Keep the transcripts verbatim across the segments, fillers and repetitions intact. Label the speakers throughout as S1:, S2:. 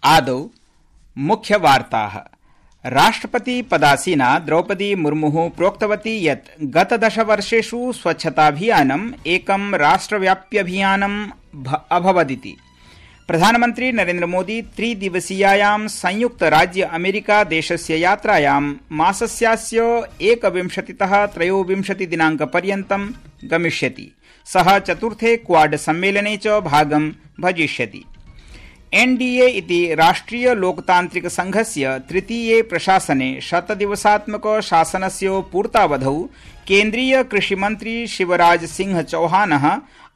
S1: आदौ मुख्यवार्ताः। राष्ट्रपति पदासीना द्रौपदी मुर्मुः प्रोक्तवती यत् गतदशवर्षेषु स्वच्छताभियानम् एकं राष्ट्रव्याप्यभियानम् अभवदिति। प्रधानमन्त्री नरेन्द्रमोदी त्रिदिवसीयायां संयुक्त राज्य अमेरिका देशस्य यात्रायां मासस्यास्य एकविंशतितः त्रयोविंशति दिनाङ्कपर्यन्तं गमिष्यति। सः चतुर्थे क्वाड सम्मेलने च भागं भजिष्यति। एनडीए इति राष्ट्रिय लोकतान्त्रिक संघस्य तृतीये प्रशासने शतदिवसात्मक शासनस्य पूर्तावधौ केन्द्रीय कृषिमन्त्री शिवराज सिंह चौहानः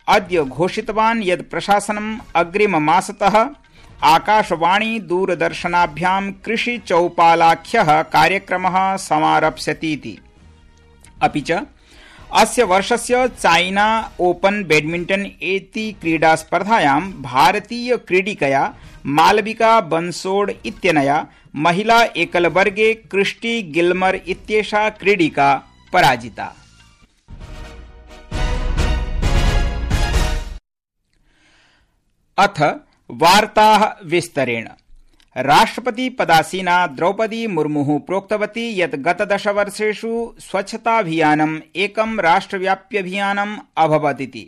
S1: अद्य घोषितवान् यत् प्रशासनम् अग्रिममासतः आकाशवाणी दूरदर्शनाभ्यां कृषि चौपालाख्यः कार्यक्रमः समारप्स्यतीति। अपि च अस्य वर्षस्य चाइना ओपन बैडमिंटन इति क्रीडा स्पर्धायां भारतीय क्रीडिकया मालविका बंसोड इत्यनया महिला एकलवर्गे क्रिस्टी गिल्मर इत्येषा क्रीडिका पराजिता। अथ वार्ताः विस्तरेण। राष्ट्रपति पदासीना द्रौपदी मुर्मुः प्रोक्तवती यत् गतदशवर्षेषु स्वच्छताभियानम् एकं राष्ट्रव्याप्यभियानम् अभवदिति।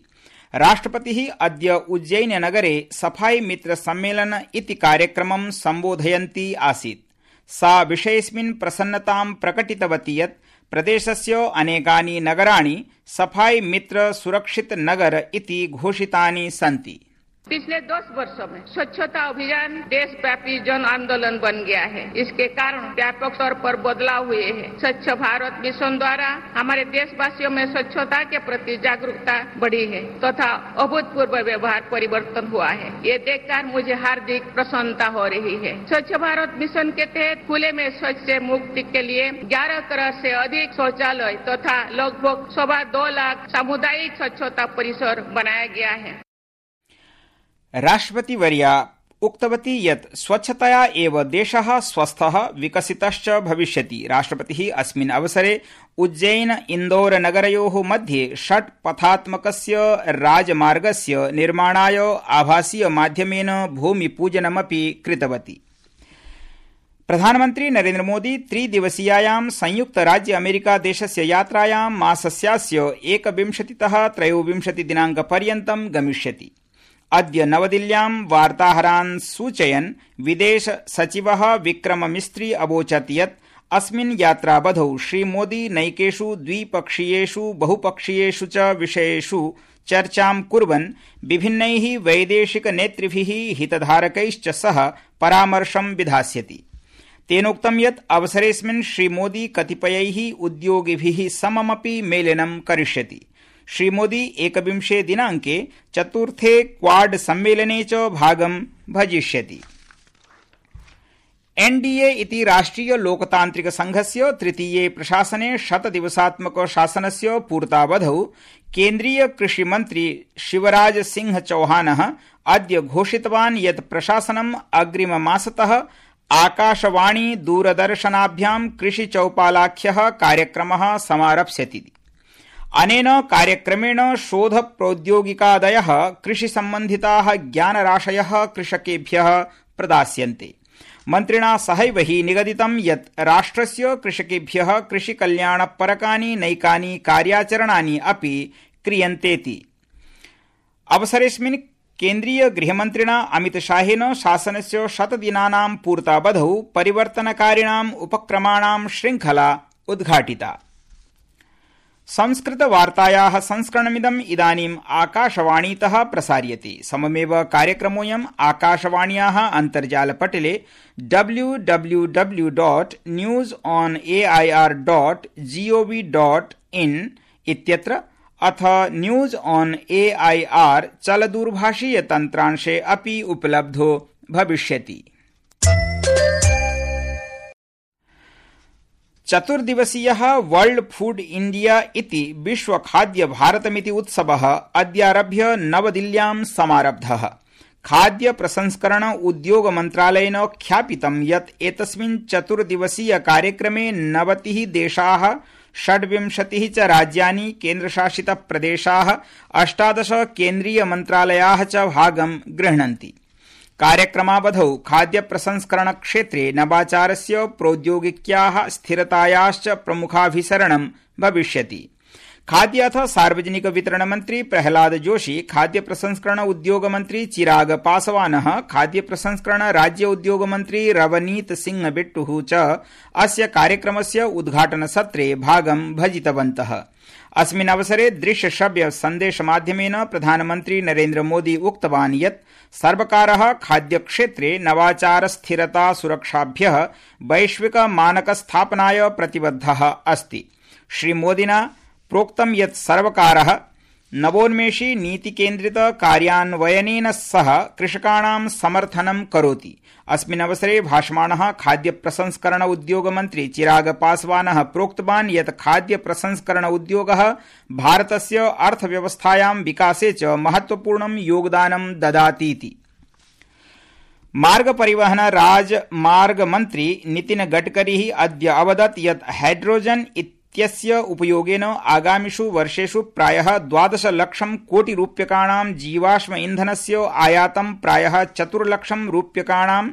S1: राष्ट्रपतिः अद्य उज्जैननगरे सफाई मित्र सम्मेलन इति कार्यक्रमं सम्बोधयन्ती आसीत्। सा विषयेऽस्मिन् प्रसन्नतां प्रकटितवती यत् प्रदेशस्य अनेकानि नगराणि सफाई मित्र सुरक्षित नगर इति घोषितानि सन्ति।
S2: पिछले दस वर्षों में स्वच्छता अभियान देशव्यापी जन आंदोलन बन गया है। इसके कारण व्यापक स्तर पर बदलाव हुए हैं। स्वच्छ भारत मिशन द्वारा हमारे देशवासियों में स्वच्छता के प्रति जागरूकता बढ़ी है तथा अभूतपूर्व व्यवहार परिवर्तन हुआ है। ये देखकर मुझे हार्दिक प्रसन्नता हो रही है। स्वच्छ भारत मिशन के तहत खुले में शौच से मुक्ति के लिए ग्यारह करोड़ से अधिक शौचालय तथा लगभग सवा दो लाख सामुदायिक स्वच्छता परिसर बनाया गया है।
S1: राष्ट्रपतिवर्या उक्तवती यत् स्वच्छतया एव देशः स्वस्थः विकसितश्च भविष्यति। राष्ट्रपतिः अस्मिन् अवसरे उज्जैन इन्दौर नगरयोः मध्ये षट् पथात्मकस्य राजमार्गस्य निर्माणाय आभासीय माध्यमेन भूमिपूजनमपि कृतवती। प्रधानमन्त्री नरेन्द्रमोदी त्रिदिवसीयायां संयुक्त राज्य अमेरिका देशस्य यात्रायां मासस्यास्य एकविंशतितः त्रयोविंशति दिनाङ्कपर्यन्तं गमिष्यति। अद्य नवदिल्ल्यां वार्ताहरान् सूचयन् विदेश सचिवः विक्रम मिस्त्री अवोचत् यत् अस्मिन् यात्रावधौ श्रीमोदी नैकेषु द्विपक्षीयेषु बहुपक्षीयेषु च विषयेषु चर्चां कुर्वन् विभिन्नैः वैदेशिक नेतृभिः हितधारकैश्च सह परामर्शं विधास्यति। तेनोक्तं यत् अवसरेऽस्मिन् श्रीमोदी कतिपयैः उद्योगिभिः सममपि मेलनं करिष्यति। श्रीमोदी एकविंशे दिनाङ्के चतुर्थे क्वाड सम्मेलने च भागं भजिष्यति। एनडीए इति राष्ट्रिय लोकतान्त्रिक संघस्य तृतीये प्रशासने शतदिवसात्मक शासनस्य पूर्तावधौ केन्द्रीय कृषिमन्त्री शिवराज सिंह चौहानः अद्य घोषितवान् यत् प्रशासनम् अग्रिममासतः आकाशवाणी दूरदर्शनाभ्यां कृषि चौपालाख्यः कार्यक्रमः समारप्स्यति। अनेन कार्यक्रमेण शोध प्रौद्योगिकादयः कृषिसम्बन्धिताः ज्ञानराशयः कृषकेभ्यः प्रदास्यन्ते। मन्त्रिणा सहैव हि निगदितं यत् राष्ट्रस्य कृषकेभ्यः कृषिकल्याणपरकानि नैकानि कार्याचरणानि अपि क्रियन्तेति। अवसरेऽस्मिन् केन्द्रीय गृहमन्त्रिणा अमितशाहेन शासनस्य शतदिनानां पूर्तावधौ परिवर्तनकारिणाम् उपक्रमाणां श्रृङ्खला उद्घाटिता। संस्कृतवार्तायाः संस्करणमिदम् इदानीम् आकाशवाणीतः प्रसार्यते। सममेव कार्यक्रमोऽयम् आकाशवाण्याः अन्तर्जालपटले W W W dot news on A I R dot G O V dot in इत्यत्र अथ news on A I R चलदूरभाषीयतन्त्रांशे अपि उपलब्धो भविष्यति। चतुर्दिवसीयः वर्ल्ड फूड इंडिया इति विश्व खाद्य भारतमिति उत्सवः अद्यारभ्य नवदिल्ल्यां समारब्धः। खाद्य प्रसंस्करण उद्योग मन्त्रालयेन ख्यापितं यत् एतस्मिन् चतुर्दिवसीय कार्यक्रमे नवतिः देशाः षड्विंशतिः च राज्यानि केन्द्रशासित प्रदेशाः अष्टादश केन्द्रीय मन्त्रालयाः च भागं गृह्णन्ति। कार्यक्रमावधौ खाद्य प्रसंस्करण क्षेत्रे नवाचारस्य प्रौद्योगिक्याः स्थिरतायाश्च प्रमुखाभिसरणं भविष्यति। खाद्य अथ सार्वजनिक वितरण मंत्री प्रहलाद जोशी, खाद्य प्रसंस्करण उद्योग मंत्री चिराग पासवानः, खाद्य प्रसंस्करण राज्य उद्योग मंत्री रवनीत सिंह बिट्टुः च अस्य कार्यक्रमस्य उद्घाटन सत्रे भागं भजितवन्तः। अस्मिन् अवसरे दृश्य श्रव्य संदेश माध्यमेन प्रधानमन्त्री नरेन्द्र मोदी उक्तवान् यत् सर्वकारः खाद्य क्षेत्रे नवाचार स्थिरता सुरक्षाभ्यः वैश्विक मानक स्थापनाय प्रतिबद्धः अस्ति। श्रीमोदिना प्रोक्तं यत् सर्वकारः नवोन्मेषी नीतिकेन्द्रित कार्यान्वयनेन सह कृषकाणां समर्थनं करोति। अस्मिन् अवसरे भाषमाणः खाद्य प्रसंस्करण उद्योग मंत्री चिराग पासवानः प्रोक्तवान् यत् खाद्य प्रसंस्करण उद्योगः भारतस्य अर्थव्यवस्थायां विकासे च महत्वपूर्णं योगदानं ददातीति। मार्ग परिवहन राजमार्ग मंत्री नितिन गडकरी अद्य अवदत् यत् हाइड्रोजन इत्यस्य उपयोगेन आगामिषु वर्षेषु प्रायः द्वादश लक्षं कोटि रूप्यकाणां जीवाश्म ईंधनस्य आयातं प्रायः चतुर्लक्षं रूप्यकाणां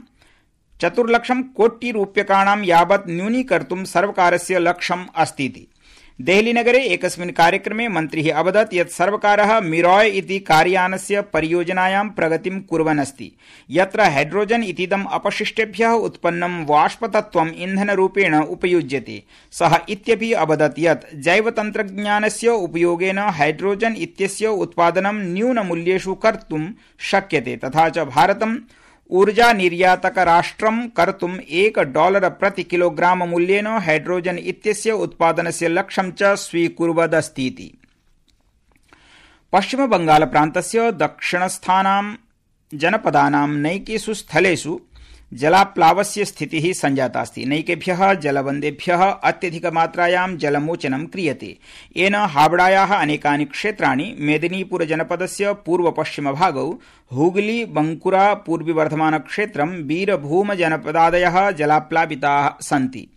S1: चतुर्लक्षं कोटि रूप्यकाणां यावत् न्यूनीकर्तुं सर्वकारस्य लक्ष्यम् अस्तीति। देहलीनगरे एकस्मिन् कार्यक्रमे मन्त्री अवदत् यत् सर्वकारः मिरॉय इति कार्यानस्य परियोजनायां प्रगतिं कुर्वन् अस्ति, यत्र हाइड्रोजन इतीदम् अपशिष्टेभ्यः उत्पन्नं वाष्पतत्त्वम् ईंधनरूपेण उपयुज्यते। सः इत्यपि अवदत् यत् जैवतन्त्रज्ञानस्य उपयोगेन हाइड्रोजन इत्यस्य उत्पादनं न्यूनमूल्येषु कर्तुं शक्यते, तथा च भारतं ऊर्जा निर्यातक राष्ट्रं कर्तुम् एक डॉलर प्रति किलोग्राम मूल्येन हाइड्रोजन इत्यस्य उत्पादनस्य लक्ष्यं च स्वीकुर्वदस्तीति। पश्चिम बंगाल प्रान्तस्य दक्षिणस्थानां जनपदानां नैकेषु स्थलेषु जलाप्लावस्य स्थितिः सञ्जातास्ति। नैकेभ्यः जलबन्धेभ्यः अत्यधिकमात्रायां जलमोचनं क्रियते। येन हावड़ायाः अनेकानि क्षेत्राणि, मेदिनीपुर जनपदस्य पूर्वपश्चिमभागौ, हुगली बंकुरा पूर्वी वर्धमान क्षेत्रं, बीरभूम जनपदादयः जलाप्लाविताः सन्ति।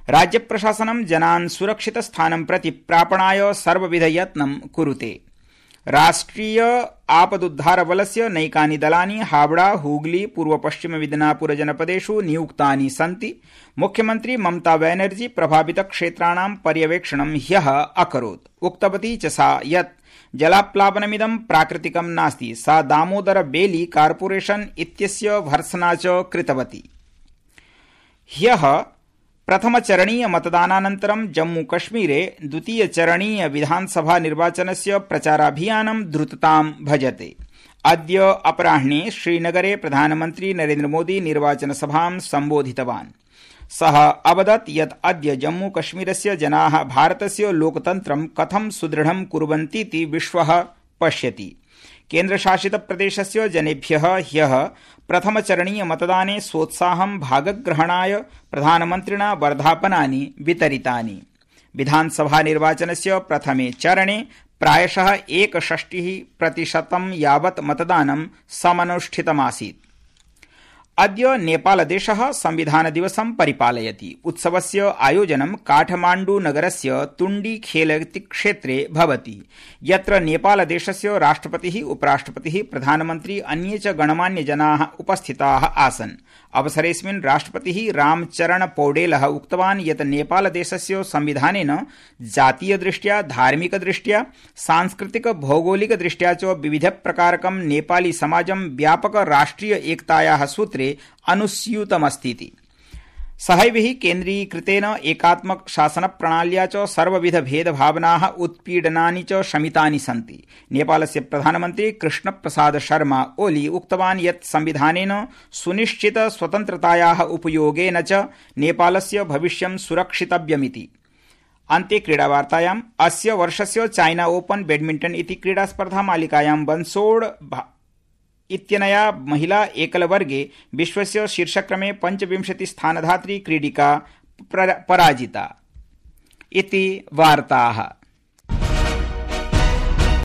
S1: राज्यप्रशासनं जनान् सुरक्षितस्थानं प्रति प्रापणाय सर्वविधयत्नं कुरुते। राष्ट्रिय आपदुद्धारबलस्य नैकानि दलानि हावड़ा, हुगली, पूर्वपश्चिम मिदनापुर जनपदेषु नियुक्तानि सन्ति। मुख्यमंत्री ममता बनर्जी प्रभावितक्षेत्राणां पर्यवेक्षणं ह्यः अकरोत्। उक्तवती च सा यत् जलाप्लावनमिदं प्राकृतिकं नास्ति। सा दामोदर बेली कार्पोरेशन इत्यस्य भर्त्सना च कृतवती। ह्यः प्रथमचरणीय मतदानानन्तरं जम्मूकश्मीरे द्वितीयचरणीय विधानसभा निर्वाचनस्य प्रचाराभियानं द्रुततां भजते। अद्य अपराह्णे श्रीनगरे प्रधानमन्त्री नरेन्द्र मोदी निर्वाचनसभां सम्बोधितवान्। सः अवदत् यत् अद्य जम्मूकश्मीरस्य जनाः भारतस्य लोकतन्त्रं कथं सुदृढं कुर्वन्तीति विश्वः पश्यति। केन्द्रशासित प्रदेशस्य जनेभ्यः ह्यः प्रथमचरणीय मतदाने सोत्साहं भागग्रहणाय प्रधानमन्त्रिणा वर्धापनानि वितरितानि। विधानसभा निर्वाचनस्य प्रथमे चरणे प्रायशः एकषष्टिः प्रतिशतं यावत् मतदानं समनुष्ठितमासीत्। अद्य नेपालदेशः संविधानदिवसं परिपालयति। उत्सवस्य आयोजनं काठमाण्डू नगरस्य तुण्डी खेलति क्षेत्रे भवति, यत्र नेपालदेशस्य राष्ट्रपतिः, उपराष्ट्रपतिः, प्रधानमन्त्री, अन्ये च गणमान्यजनाः उपस्थिताः आसन्। अवसरेऽस्मिन् राष्ट्रपतिः रामचरण पौडेलः उक्तवान् यत् नेपालदेशस्य संविधानेन जातीयदृष्ट्या, धार्मिकदृष्ट्या, सांस्कृतिक भौगोलिकदृष्ट्या च विविधप्रकारकं नेपाली समाजं व्यापक राष्ट्रिय एकतायाः सूत्रे अनुस्यूतमस्तीति। सहैवहि केन्द्रीकृतेन एकात्मक शासनप्रणाल्या च सर्वविध भेदभावनाः, उत्पीडनानि च शमितानि सन्ति। नेपालस्य प्रधानमन्त्री कृष्णप्रसाद शर्मा ओली उक्तवान् यत् संविधानेन सुनिश्चित स्वतन्त्रतायाः उपयोगेन च नेपालस्य भविष्यं सुरक्षितव्यमिति। अन्ते क्रीडावार्तायाम् अस्य वर्षस्य चाइना ओपन बैडमिण्टन इति क्रीडास्पर्धा मालिकायां बन्सोड इत्यनया महिला एकलवर्गे विश्वस्य शीर्षक्रमे पञ्चविंशति स्थानधात्री क्रीडिका पराजिता इति वार्ताः।